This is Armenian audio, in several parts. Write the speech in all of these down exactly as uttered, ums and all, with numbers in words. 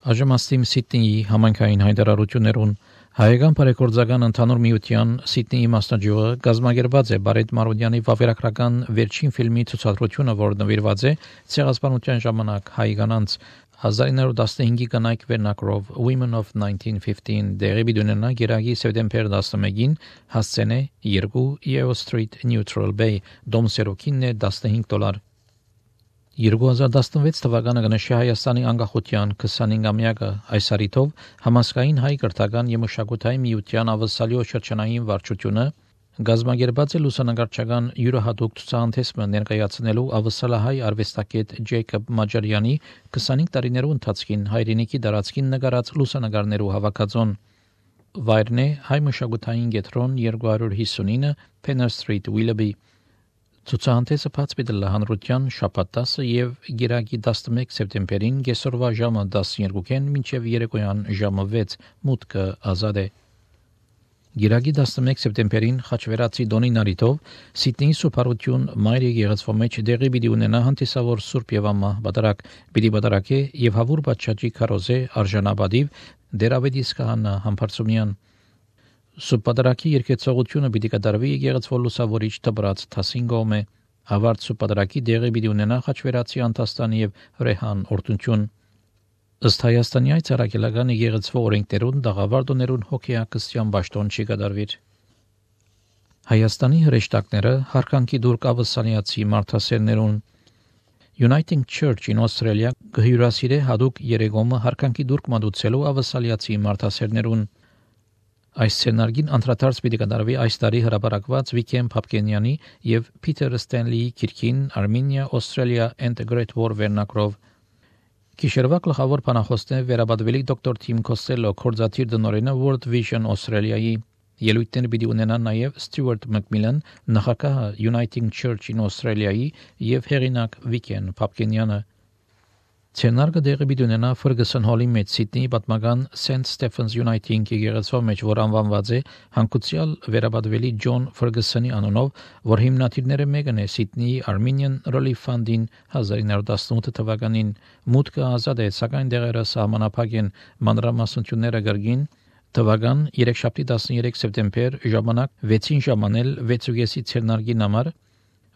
Այժմ Սիդնեի համայնքային հայտարարություններուն հայկական բարեգործական ընդհանուր միության Սիդնեի մասնաճյուղը գազմագերված է Բարետ Մարոդյանի վավերագրական վերջին ֆիլմի ցուցադրությունը, որը նվիրված է ցեղասպանության ժամանակ հայ կանանց հազար իննսուն տասնհինգի կանայք վերնակրով Women of nineteen fifteen դեղի բիդունենա գերագի սեպտեմբեր տասնմեկին հասցենե երկու Yeo Street Neutral Bay դոմսերոքինն է տասնհինգ դոլար երկու հազար տասնվեց թվականը կնշի Հայաստանի անկախության քսանհինգամյակը այս առիթով համասկային հայ կրթական եւ մշակութային միության ավսալիո շրջանային վարչությունը գազմագերված է լուսանկարչական յուրահատուկ ցուցահանդեսը ներկայացնելու ավսալահայ արվեստագետ Ջեյկոբ Մաջարյանի քսանհինգ տարիներու ընթացքին հայրենիքի դարածքին նկարած լուսանկարներու հավաքածոն վայրն է հայ մշակութային կենտրոն երկու հարյուր հիսունինը Penner Street Willoughby Ցուցահանդեսը բաց պիտի հանրության շաբաթ տասը եւ գիրակի տասնմեկ սեպտեմբերին կեսօրվա ժամը տասնյոթին մինչեւ երեկոյան ժամը վեց մուտքը ազատ է Գիրակի տասնմեկ սեպտեմբերին Խաչվերացի Դոնին Արիթով Սիդնեի Սուպարություն Մայր եկեղեցու մեջ դեղի պիտի ունենա հանդիսավոր Սուրբ Եվամա բادرակ պիտի բادرակե եւ հավուր բաճաճի քարոզե արժանապատիվ Դերավետիս քահանա Համբարձումյան Սուպադրակի երկեցողությունը պիտի կատարվի եկեղեցու լուսավորիչ դբրած թասինգոմե հավարտ սուպադրակի դեղի պիտի ունենա Խաչվերացի Անտաստան եւ Ռեհան օրտնություն ըստ Հայաստանի այցարակելական եկեղեցու օրենքներուն դաղավարդոներուն հոգեակցության ճաշտոն չի կատարվիր Հայաստանի հրեշտակները հարկանքի դուր կավսանիացի մարդասերներուն Uniting Church in Australia գհյուրասիրե հadoop երեգոմը հարկանքի դուր կմատուցելու ավսալիացի մարդասերներուն Այս սցենարգին անդրադարձ պիտի կատարվի այս տարի հրապարակված Վիկեն Փապկենյանի եւ Փիթեր Ստենլիի քիրքին Armenia, Australia and the Great War վերնակրով Գիշերվա գլխավոր բանախոսն վերաբադվելի դոկտոր Թիմ Կոստելո կորզաթիր դնորենը World Vision Australia-ի ելույթներ պիտի ունենան նաեւ Ստյուարտ Մակմիլան նախագահը Uniting Church in Australia-ի եւ հեղինակ Վիկեն Փապկենյանը Ցենարգը դեղի պիտի ունենա Ferguson Hall-ի մեջ Սիդնեի պատմական Saint Stephen's Uniting եկեղեցու մեջ, որ անվանված է հանկուցյալ վերաբադվելի Ջոն Ferguson-ի անունով, որ հիմնադիրները մեկն է Սիդնեի Armenian Relief Fund-ին հազար իննսուն տասնութ թվականին մուտքը ազատ է, սակայն դեղերը սահմանափակ են մանրամասնությունները գրգին թվական երեքշաբթի տասներեք սեպտեմբեր ժամանակ վեցին ժամանել վեցուգեսի ցերնարգին համար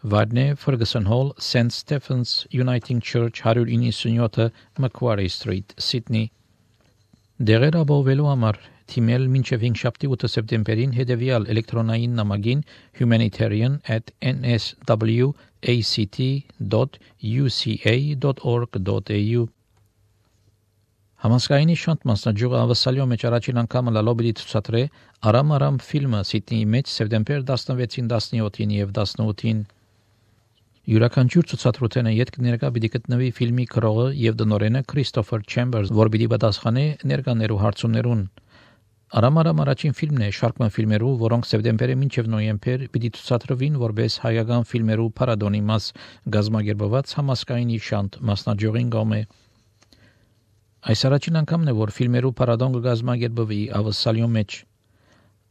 Վարնե Ferguson Hall, Saint Stephen's Uniting Church one ninety-seven Macquarie Street, Sydney Դեղեր ապահովելու համար թիմել մինչև հինգշաբթի ութ սեպտեմբերին հետևյալ էլեկտրոնային նամակին humanitarian at n s w a c t dot u c a dot org dot a u Համասկայնի շանտ մասնաճյուղը ավսալիո մեջ առաջին անգամ լալոբիդի ցուցադրե Արամ Արամ ֆիլմը Սիդնեի մեջ սեպտեմբեր տասնվեցին տասնյոթին եւ տասնութին Յուրաքանչյուր ցուցադրութենը յետ կներկա պիտի գտնվի ֆիլմի քրողը եւ դնորենը Քրիստոֆեր Չեմբերս, որ պիտի պատասխանե ներկաներու հարցումներուն։ Արամ Արամ առաջին ֆիլմն է շարքման ֆիլմերու, որոնք սեպտեմբերին մինչև նոյեմբեր պիտի ցուցադրվին որպես հայկական ֆիլմերու փառատոնի մաս գազմագերբված համասկայնի շանտ մասնաճյուղին գոմե։ Այս առաջին անգամն է, որ ֆիլմերու փառատոն կգազմագերբվի ավսալիո մեջ։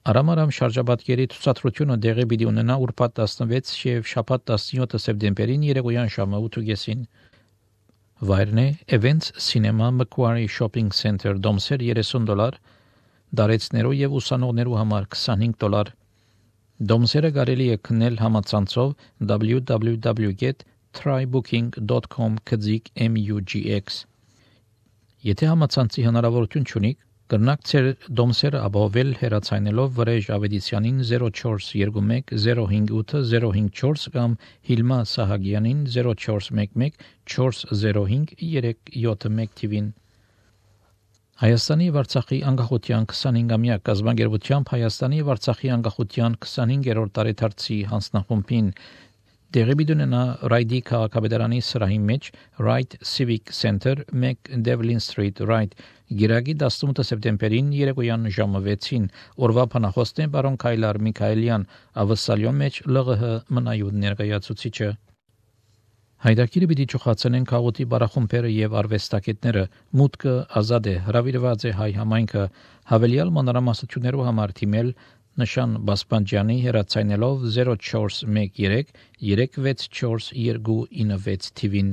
Արամ Արամ շարժաբատկերի ցուցադրությունը դեղի պիտի ունենա ուրբաթ տասնվեց եւ շաբաթ տասնյոթ սեպտեմբերին երեկոյան ժամը ութ Վայրն է Events Cinema Macquarie Shopping Center դոմսեր երեսուն դոլար, դարեցներու եւ ուսանողներու համար քսանհինգ դոլար։ Դոմսերը կարելի է քննել համացանցով w w w dot try booking dot com կձիկ mugx Եթե համացանցի հնարավորություն չունիք, կրնակ ծեր դոմսերը ապահովել հեռացայնելով Վրեժ Ավետիսյանին zero four two one zero five eight zero five four կամ Հիլմա Սահագյանին zero four one one four zero five three seven one թիվին Հայաստանի եւ Արցախի անկախության քսանհինգամյակ կազմակերպությամբ Հայաստանի եւ Արցախի անկախության քսանհինգերորդ տարեդարձի հանձնախումբին Դեղի բիդունենա Ռայդի քաղաքապետարանի սրահի մեջ Wright Civic Center one Devlin Street Wright Գիրագի տասնութ սեպտեմբերին երեկոյան ժամը վեցին օրվա փանախոսն է բարոն Քայլար Միքայելյան ավսալիո մեջ L G H մնայուն ներկայացուցիչը Հայդակիրը պիտի ճոխացնեն քաղաքի բարախումբերը եւ արվեստագետները մուտքը ազատ է հրավիրված է հայ համայնքը հավելյալ մանրամասնություններով համար թիմել Նշան Բասպանջյանի հեռացայնելով zero four one three three six four two nine six թիվին